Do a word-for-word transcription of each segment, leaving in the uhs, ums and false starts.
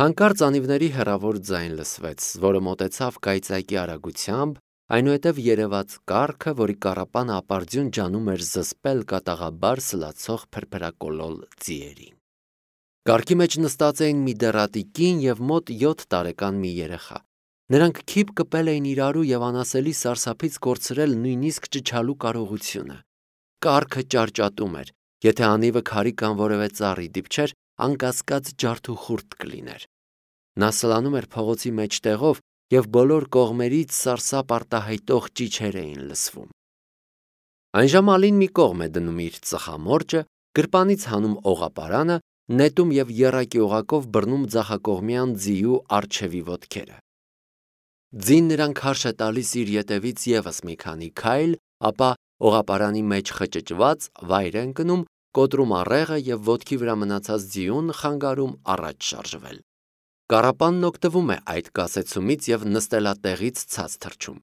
Հանկարծ անիվների հեռավոր ձայն լսվեց, որը մոտեցավ կայծակի արագությամբ, այնուհետև երևաց կառքը, որի կառապանը ապարդյուն ջանում էր զսպել կատաղաբար սլացող փրփրակոլոլ ձիերին։ Կառքի մեջ նստած էին մի դեռատի կին և մոտ յոթ տարեկան մի երեխա։ Նրանք քիփ կպել էին իրարու և անասելի սարսափից կորցրել նույնիսկ ճչալու կարողությունը։ Կառքը ճարճատում էր, եթե անիվը քարի կամ որևէ ծառի դիպչեր, անկասկած ջարդուխուրդ կլիներ։ Նա սլանում էր փողոցի մեջտեղով, և բոլոր կողմերից սարսափ արտահայտող ճիչեր էին լսվում։ Այնժամ Ալին մի կողմ է դնում իր ծխամորճը, գրպանից հանում օղապարանը, նետում և եռակի օղակով բռնում ձախակողմյան ձիու առջևի ոտքերը։ Ձին նրան քարշ է տալիս իր ետևից ևս մի քանի քայլ, ապա օղապարանի մեջ խճճված վայր է ընկնում, կոտրում առեղը և ոտքի վրա մնացած ձիուն խանգարում առաջ շարժվել։ Կառապանն օգտվում է այդ կասեցումից և նստելատեղից ցած թռչում։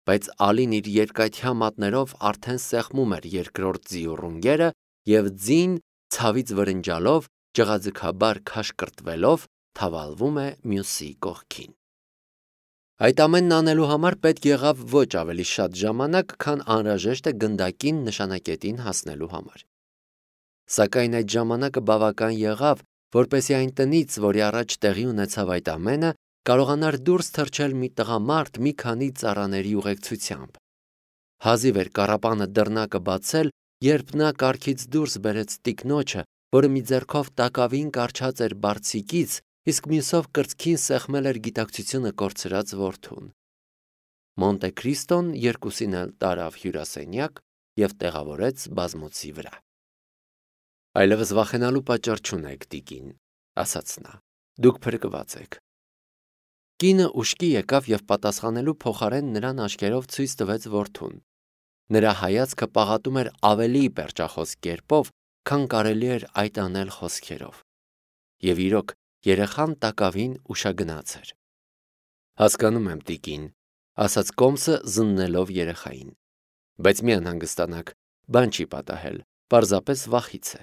Բայց Ալին իր երկաթյա մատներով արդեն սեղմում էր երկրորդ ձիու ռունգերը, և ձին, ցավից վրնջալով, ջղաձգաբար քաշկրտվելով, թավալվում է մյուսի կողքին։ Այդ ամենն անելու համար պետք եղավ ոչ ավելի շատ ժամանակ, քան անհրաժեշտ է գնդակին նշանակետին հասնելու համար։ Սակայն այդ ժամանակը բավական եղավ, որպեսզի այն տնից, որի առաջ տեղի ունեցավ այդ ամենը, կարողանար դուրս թռչել մի տղամարդ մի քանի ծառաների ուղեկցությամբ։ Հազիվ էր կառապանը դռնակը բացել, երբ նա կառքից դուրս բերեց տիկնոջը, որը մի ձեռքով տակավին կառչած էր բարձիկից, իսկ մյուսով կրծքին սեղմել էր գիտակցությունը կորցրած որդուն։ Մոնտե Քրիստոն երկուսին էլ տարավ հյուրասենյակ և տեղավորեց բազմոցի վրա։ Այլևս վախենալու պատճառ չունեք, տիկին, ասաց նա, դուք փրկված եք։ Կինը ուշքի եկավ և պատասխանելու փոխարեն նրան աչքերով ցույց տվեց որդուն։ Նրա հայացքը պաղատում էր ավելի պերճախոս կերպով, քան կարելի էր այդ անել խոսքերով։ Եվ իրոք, երեխան տակավին ուշագնաց էր։ Հասկանում եմ, տիկին, ասաց Կոմսը զննելով երեխային, բայց մի անհանգստանաք, բան չի պատահել, պարզապես վախից է։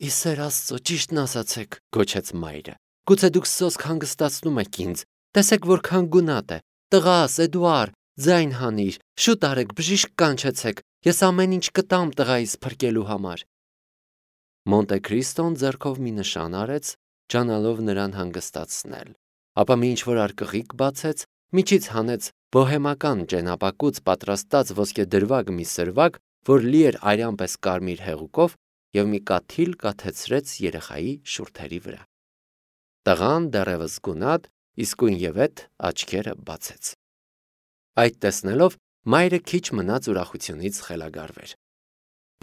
Ի սեր Աստծո, ճիշտն ասացեք, գոչեց մայրը։ Գուցե դուք սոսկ հանգստացնում եք ինձ, տեսեք որքան գունատ է, տղաս, Էդուար, ձայն հանիր, շուտ արեք, բժիշկ կանչեցեք, ես ամեն ինչ կտամ տղայիս փրկելու համար։ Մոնտե Քրիստոն ձեռքով մի նշան արեց, ջանալով նրան հանգստացնել, ապա մի ինչ-որ արկղիկ բացեց, միջից հանեց բոհեմական ճենապակուց պատրաստած ոսկեդրվագ մի սրվակ, որ լի էր արյան պես կարմիր հեղուկով, և մի կաթիլ կաթեցրեց երեխայի շուրթերի վրա։ Տղան դեռևս գունատ, իսկույնևեթ աչքերը բացեց։ Այդ տեսնելով մայրը քիչ մնաց ուրախությունից խելագարվեր։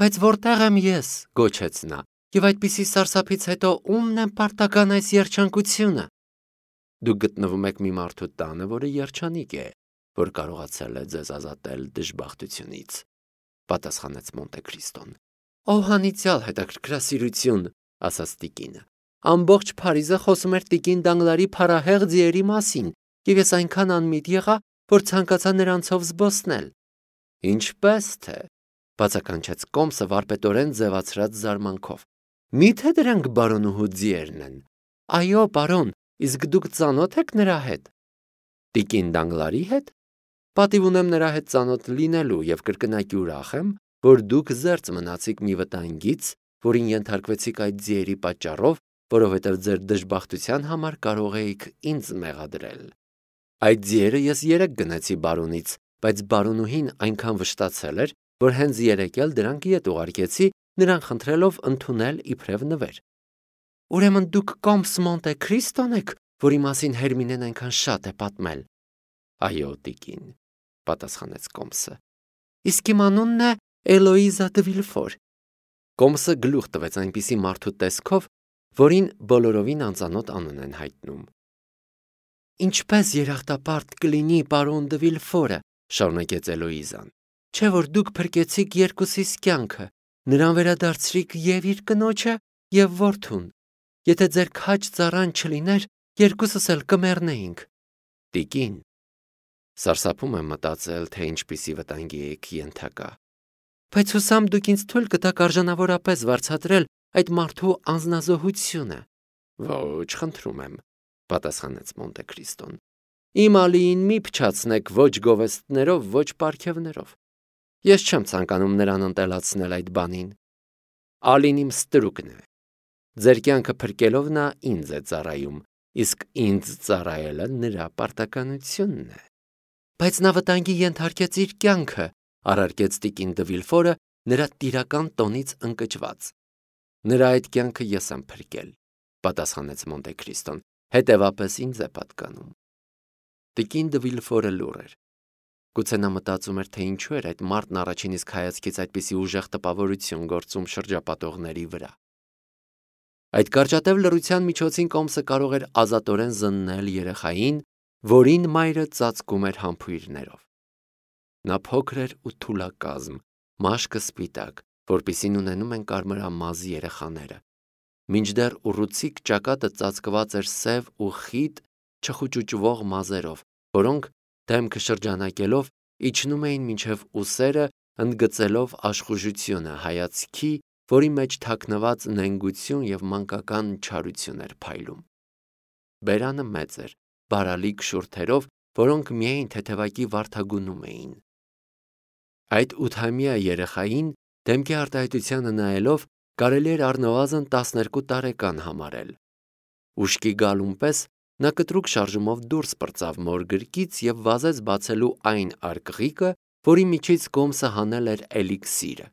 Բայց որտեղ եմ ես, գոչեց նա, և այդպիսի սարսափից հետո ումն եմ պարտական այս երջանկությունը։ Դուք գտնվում եք մի մարդու տանը, որը երջանիկ է, որ կարողացել է ձեզ ազատել դժբախտությունից, պատասխանեց Մոնտե Քրիստոն։ Ո անիծյալ հետաքրքրասիրություն, ասաց տիկինը։ Ամբողջ Փարիզը խոսում էր տիկին Դանգլարի փառահեղ ձիերի մասին, և ես այնքան անմիտ եղա, որ ցանկացա նրանցով զբոսնել։ Ինչպես թե, բացականչեց Կոմսը վարպետորեն ձևացրած զարմանքով։ Մի՞թե դրանք բարոնուհու ձիերն են։ Այո, պարոն, իսկ դուք ծանոթ եք նրա հետ։ Տիկին Դանգլարի հետ։ Պատիվ ունեմ նրա հետ ծանոթ լինելու և կրկնակի ուրախ եմ, որ դուք զերծ մնացիք մի վտանգից, որին ենթարկվեցիք այդ ձիերի պատճառով, որովհետև ձեր դժբախտության համար կարող էիք ինձ մեղադրել։ Այդ ձիերը ես երեկ գնեցի բարոնից, բայց բարոնուհին այնքան վշտացել էր, որ հենց երեկ էլ դրանք ետ ուղարկեցի, նրան խնդրելով ընդունել իբրև նվեր։ Ուրեմն դուք Կոմս Մոնտե Քրիստոն եք, որի մասին Հերմինեն այնքան շատ է պատմել։ Այո, տիկին, պատասխանեց Կոմսը։ Իսկ իմ անունն է Էլոիզա դը Վիլֆոր։ Կոմսը գլուխ տվեց այնպիսի մարդու տեսքով, որին բոլորովին անծանոթ անուն են հայտնում։ Ինչպես երախտապարտ կլինի պարոն դը Վիլֆորը, շարունակեց Էլոիզան, չէ որ դուք փրկեցիք երկուսիս կյանքը, նրան վերադարձրիք և իր կնոջը, և որդուն։ Եթե ձեր քաջ ծառան չլիներ, երկուսս էլ կմեռնեինք։ Տիկին, սարսափում եմ մտածել, թե ինչպիսի վտանգի եք ենթակա։ Բայց հուսամ դուք ինձ թույլ կտաք արժանավորապես վարձատրել այդ մարդու անձնազոհությունը։ Ոչ, խնդրում եմ, պատասխանեց Մոնտե Քրիստոն։ Իմ Ալիին մի փչացնեք ոչ գովեստներով, ոչ պարգևներով։ Ես չեմ ցանկանում նրան ընտելացնել այդ բանին։ Ալին իմ ստրուկն է։ Ձեր կյանքը փրկելով նա ինձ է ծառայում, իսկ ինձ ծառայելը նրա պարտականությունն է։ Բայց նա վտանգի ենթարկեց իր կյանքը, առարկեց տիկին դը Վիլֆորը նրա տիրական տոնից ընկճված։ Նրա այդ կյանքը ես եմ փրկել, պատասխանեց Մոնտե Քրիստոն, հետևապես ինձ է պատկանում։ Տիկին դը Վիլֆորը լուռ էր։ Գուցե նա մտածում էր, թե ինչու էր այդ մարդն առաջին իսկ հայացքից այդպիսի ուժեղ տպավորություն գործում շրջապատողների վրա։ Այդ կարճատև լռության միջոցին Կոմսը կարող էր ազատորեն զննել երեխային, որին մայրը ծածկում էր համբույրներով։ Նա փոքր էր ու թուլակազմ, մաշկը սպիտակ, որպիսին ունենում են կարմրամազ երեխաները, մինչդեռ ուռուցիկ ճակատը ծածկված էր սև ու խիտ չխուճուճվող մազերով, որոնք դեմքը շրջանակելով իջնում էին մինչև ուսերը, ընդգծելով աշխուժությունը հայացքի, որի մեջ թաքնված նենգություն և մանկական չարություն էր փայլում։ Բերանը մեծ էր, բարալիկ շուրթերով, որոնք միայն թեթևակի վարդագունում էին։ Այդ ութամյա երեխային դեմքի արտահայտությանը նայելով կարելի էր առնվազն տասներկու տարեկան համարել։ Ուշքի գալուն պես նա կտրուկ շարժումով դուրս պրծավ մոր գրկից և վազեց բացելու այն արկղիկը, որի միջից Կոմսը հանել էր էլիքսիրը։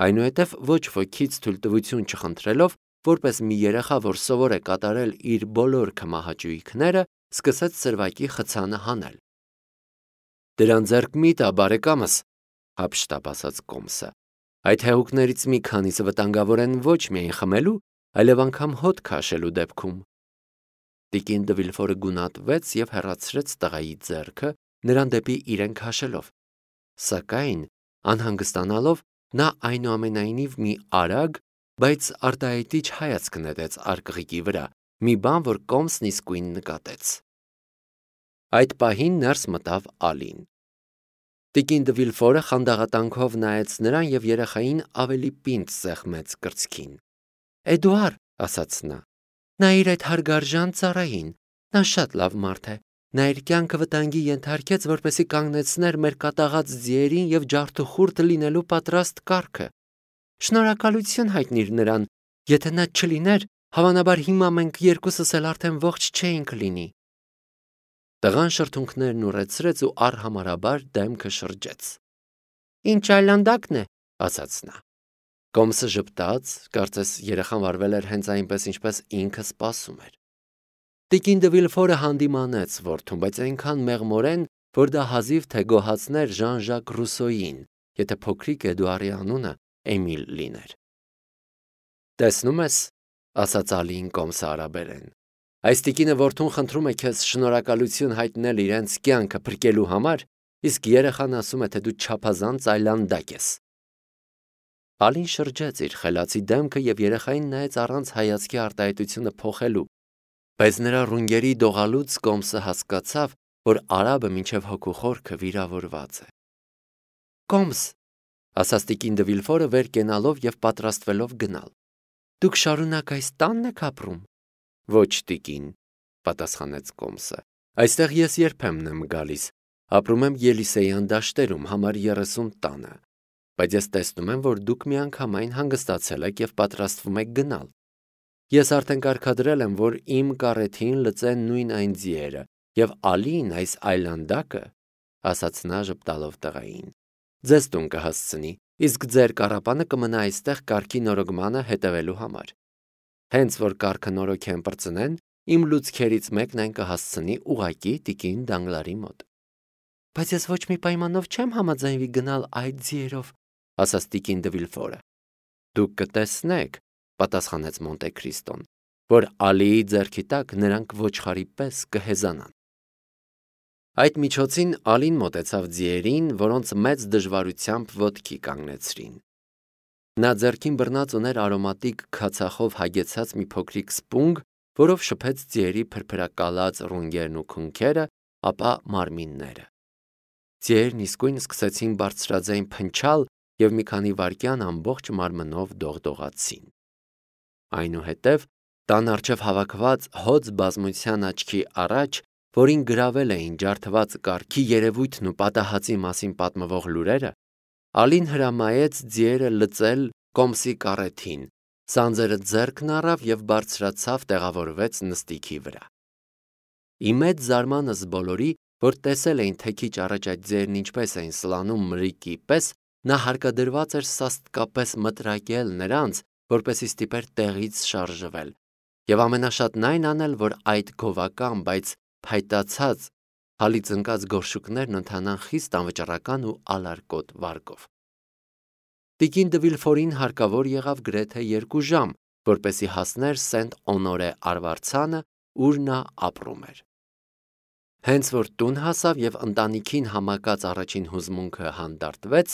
Այնուհետև ոչ ոքից թույլտվություն չխնդրելով, որպես մի երեխա, որ սովոր է կատարել իր բոլոր քմահաճույքները, սկսեց սրվակի խցանը հանել։ Դրան ձեռք մի տա, բարեկամս, հափշտապ ասաց Կոմսը։ Այդ հեղուկներից մի քանիսը վտանգավոր են ոչ միայն խմելու, այլև անգամ հոտ քաշելու դեպքում։ Տիկին դը Վիլֆորը գունատվեց և հեռացրեց տղայի ձեռքը, նրան դեպի իրեն քաշելով։ Սակայն, անհանգստանալով, նա այնուամենայնիվ մի արագ, բայց արտահայտիչ հայացք նետեց արկղիկի վրա, մի բան, որ Կոմսն իսկույն նկատեց։ Այդ պահին ներս մտավ Ալին։ Տիկին դը Վիլֆորը խանդաղատանքով նայեց նրան և երեխային ավելի պինդ սեղմեց կրծքին։ Էդուար, ասաց նա, նայիր այդ հարգարժան ծառային, նա շատ լավ մարդ է, նա իր կյանքը վտանգի ենթարկեց, որպեսզի կանգնեցներ մեր կատաղած ձիերին և ջարդուխուրդ լինելու պատրաստ կառքը։ Շնորհակալություն հայտնիր նրան, եթե նա չլիներ, հավանաբար հիմա մենք երկուսս էլ արդեն ողջ չէինք լինի։ Տղան շրթունքներն ուռեցրեց ու առհամարաբար դեմքը շրջեց։ Ինչ այլանդակն է, ասաց նա։ Կոմսը ժպտաց, կարծես երեխան վարվել էր հենց այնպես, ինչպես ինքը սպասում էր։ Տիկին դը Վիլֆորը հանդիմանեց որդուն, բայց այնքան մեղմորեն, որ դա հազիվ թե գոհացներ Ժան-Ժակ Ռուսոյին, եթե փոքրիկ Էդուարի անունը Էմիլ լիներ։ Տեսնում ես, ասաց Ալին Կոմսը արաբերեն, այս տիկինը որդուն խնդրում է քեզ շնորհակալություն հայտնել իրենց կյանքը փրկելու համար, իսկ երեխան ասում է, թե դու չափազանց այլանդակ ես։ Ալին շրջեց իր խելացի դեմքը և երեխային նայեց առանց հայացքի արտահայտությունը փոխելու, բայց նրա ռունգերի դողալուց Կոմսը հասկացավ, որ արաբը մինչև հոգու խորքը վիրավորված է։ Կոմս, ասաց տիկին դը Վիլֆորը վեր կենալով և պատրաստվելով գնալ։ Դուք շարունակ այս տանն եք ապրում։ Ոչ, տիկին, պատասխանեց Կոմսը։ Այստեղ ես երբեմն եմ գալիս, ապրում եմ Ելիսեյան դաշտերում, համար երեսուն տանը, բայց ես տեսնում եմ, որ դուք միանգամայն հանգստացել եք և պատրաստվում եք գնալ։ Ես արդեն կարգադրել եմ, որ իմ կառեթին լծեն նույն այն ձիերը, և Ալին, այս այլանդակը, ասաց նա ժպտալով տղային, ձեզ տուն կհասցնի, իսկ ձեր կառապանը կմնա այստեղ կառքի նորոգմանը հետևելու համար։ Հենց որ կառքը նորոգեն պրծնեն, իմ լուծքերից մեկն այն կհասցնի ուղղակի տիկին Դանգլարի մոտ։ Բայց ես ոչ մի պայմանով չեմ համաձայնվի գնալ այդ ձիերով, ասաց տիկին դը Վիլֆորը։ Դուք կտեսնեք, պատասխանեց Մոնտե Քրիստոն, որ Ալիի ձեռքի տակ նրանք ոչխարի պես կհեզանան։ Այդ միջոցին Ալին մոտեցավ ձիերին, որոնց մեծ դժվարությամբ ոտքի կանգնեցրին։ Նա ձեռքին բռնած ուներ արոմատիկ քացախով հագեցած մի փոքրիկ սպունգ, որով շփեց ձիերի փրփրակալած ռունգերն ու քունքերը, ապա մարմինները։ Ձիերն իսկույն սկսեցին բարձրաձայն փնչալ և մի քանի վայրկյան ամբողջ մարմնով դողդողացին։ Այնուհետև Տան առջև հավաքված հոծ բազմության աչքի առաջ, որին գրավել էին ջարդված կարգի երևույթն ու պատահածի մասին պատմվող լուրերը, Ալին հրամայեց ձիերը լծել կոմսի կառեթին, սանձերը ձեռքն առավ և բարձրացավ տեղավորվեց նստիքի վրա։ Ի մեծ զարմանս բոլորի, որ տեսել էին թե քիչ առաջ այդ ձիերն ինչպես էին սլանում մրրիկի պես, նա հարկադրված էր սաստկապես մտրակել նրանց, որպեսզի ստիպեր տեղից շարժվել, և ամենաշատն այն անել, որ այդ գովական, բայց փայտացած հալից ընկած գորշուկներն ընթանան խիստ անվճռական ու ալարկոտ վարկով։ Տիկին դը Վիլֆորին հարկավոր եղավ գրեթե երկու ժամ, որպեսզի հասներ Սենտ Օնորե արվարձանը, ուր նա ապրում էր։ Հենց որ տուն հասավ և ընտանիքին համակած առաջին հուզմունքը հանդարտվեց,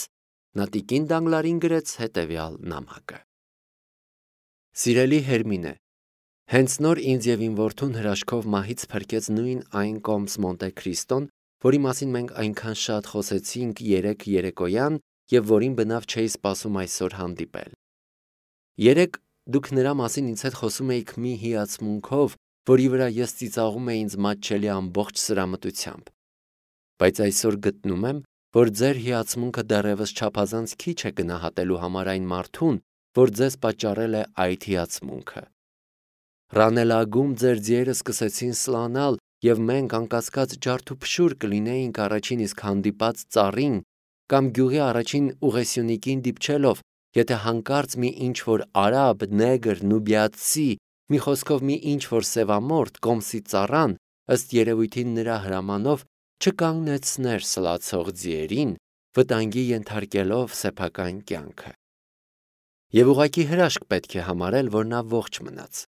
նա տիկին Դանգլարին գրեց հետևյալ նամակը. Սիրելի Հերմինե, հենց նոր ինձ և իմ որդուն հրաշքով մահից փրկեց նույն այն կոմս Մոնտե Քրիստոն, որի մասին մենք այնքան շատ խոսեցինք երեկ երեկոյան և որին բնավ չէի սպասում այսօր հանդիպել։ Երեկ դուք նրա մասին ինձ հետ խոսում էիք մի հիացմունքով, որի վրա ես ծիծաղում էի ինձ մատչելի ամբողջ սրամտությամբ, բայց այսօր գտնում եմ, որ ձեր հիացմունքը դեռևս չափազանց քիչ է գնահատելու համար այն մարդուն, որ ձեզ պատճառել է այդ հիացմունքը։ Ռանելագում ձեր ձիերը սկսեցին սլանալ, և մենք անկասկած ջարդուփշուր կլինեինք առաջին իսկ հանդիպած ծառին կամ գյուղի առաջին ուղեսյունիկին դիպչելով, եթե հանկարծ մի ինչ-որ արաբ, նեգր, նուբիացի, մի խոսքով մի ինչ-որ սևամորթ կոմսի ծառան, ըստ երևույթին նրա հրամանով, չկանգնեցներ սլացող ձիերին, վտանգի ենթարկելով սեփական կյանքը։ Եվ ուղղակի հրաշք պետք է համարել, որ նա ողջ մնաց։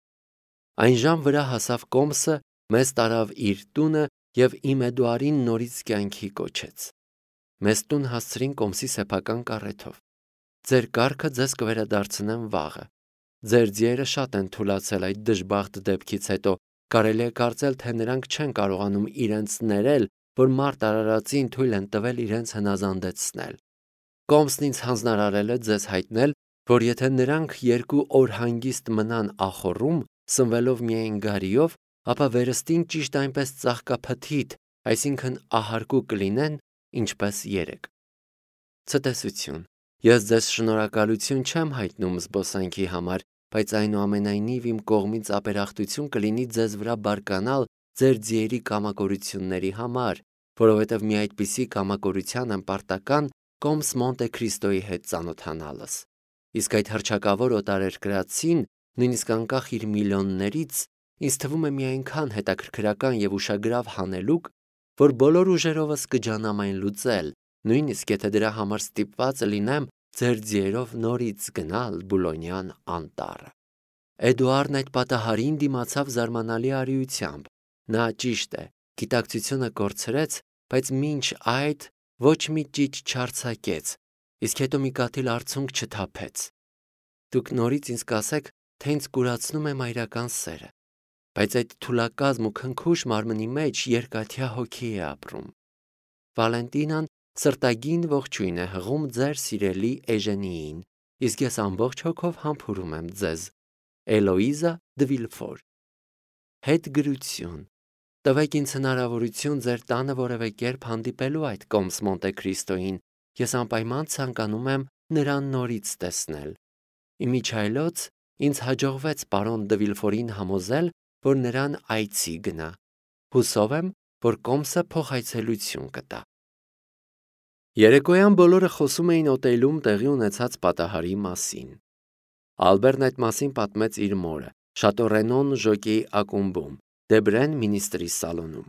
Այն ժամ վրա հասավ կոմսը, մեզ տարավ իր տունը և իմ Էդուարին նորից կյանքի կոչեց։ Մեզ տուն հասցրին կոմսի սեփական կառեթով։ Ձեր կառքը ձեզ կվերադարձնեմ վաղը։ Ձեր ձիերը շատ են թուլացել այդ դժբախտ դեպքից հետո, կարելի է կարծել, թե նրանք չեն կարողանում իրենց ներել, որ մարդ արարածին թույլ են տվել իրենց հնազանդեցնել։ Կոմսն ինձ հանձնարարել է ձեզ հայտնել, որ եթե նրանք երկու օր հանգիստ մնան ախոռում, սնվելով միայն գարիով, ապա վերստին ճիշտ այնպես ծաղկափթիթ, այսինքն ահարկու կլինեն, ինչպես երեկ։ Ցտեսություն։ Ես ձեզ շնորհակալություն չեմ հայտնում զբոսանքի համար, բայց այնուամենայնիվ իմ կողմից ապերախտություն կլինի ձեզ վրա բարկանալ ձեր ձիերի կամակորությունների համար, որովհետև մի այդպիսի կամակորության եմ պարտական կոմս Մոնտե Քրիստոյի հետ ծանոթանալս։ Իսկ այդ հռչակավոր օտարերկրացին, նույնիսկ անկախ իր միլիոններից, ինձ թվում է մի այնքան հետաքրքրական և ուշագրավ հանելուկ, որ բոլոր ուժերովս կջանամ այն լուծել, նույնիսկ եթե դրա համար ստիպված լինեմ ձեր ձիերով նորից գնալ Բուլոնյան անտառը։ Էդուարդն այդ պատահարին դիմացավ զարմանալի արիությամբ։ Նա, ճիշտ է, գիտակցությունը կորցրեց, բայց մինչ այդ ոչ մի ճիչ չարձակեց, իսկ հետո մի կաթիլ արցունք չթափեց։ Դուք նորից ինձ կասեք, թե ինձ կուրացնում է մայրական սերը, բայց այդ թուլակազմ ու քնքուշ մարմնի մեջ երկաթյա հոգի է ապրում։ Վալենտինան սրտագին ողջույն է հղում ձեր սիրելի Էժենիին, իսկ ես ամբողջ հոգով համբուրում եմ ձեզ։ Էլոիզա դը Վիլֆոր։ Հետգրություն։ Տվեք ինձ հնարավորություն ձեր տանը որևէ կերպ հանդիպելու այդ կոմս Մոնտե Քրիստոյին, ես անպայման ցանկանում եմ նրան նորից տեսնել։ Իմիջիայլոց ինձ հաջողվեց պարոն դը Վիլֆորին համոզել, որ նրան այցի գնա։ Հուսով եմ, որ կոմսը փոխայցելություն կտա։ Երեկոյան բոլորը խոսում էին օտելում տեղի ունեցած պատահարի մասին։ Ալբերտն այդ մասին պատմեց իր մորը, Շատո Ռենոն ժոկեի ակումբում, Դեբրեն մինիստրի սալոնում։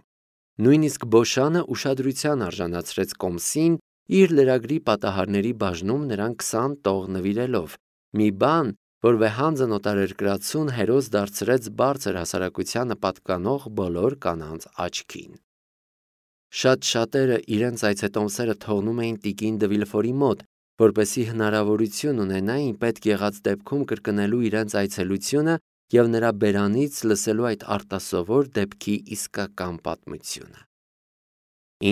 Նույնիսկ Բոշանը ուշադրության արժանացրեց կոմսին, իր լրագրի պատահարների բաժնում նրան քսան տող նվիրելով, մի բան, որ վեհանձն օտարերկրացուն հերոս դարձրեց բարձր հասարակությանը պատկանող բոլոր կանանց աչքին։ Շատ շատերը իրենց այցետոմսերը թողնում էին տիկին դը Վիլֆորի մոտ, որպեսզի հնարավորություն ունենային պետք եղած դեպքում կրկնելու իրենց այցելությունը և նրա բերանից լսելու այդ արտասովոր դեպքի իսկական պատմությունը։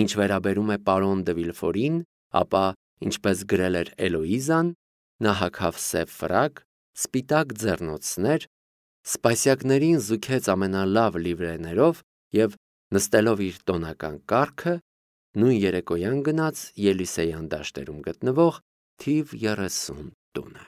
Ինչ վերաբերում է պարոն դը Վիլֆորին, ապա, ինչպես գրել էր Էլոիզան, նա հագավ սև ֆրակ, սպիտակ ձեռնոցներ, Սպասյակներին զուգեց ամենալավ լիվրեներով և նստելով իր տոնական կառքը, նույն երեկոյան գնաց Ելիսեյան դաշտերում գտնվող թիվ երեսուն տունը։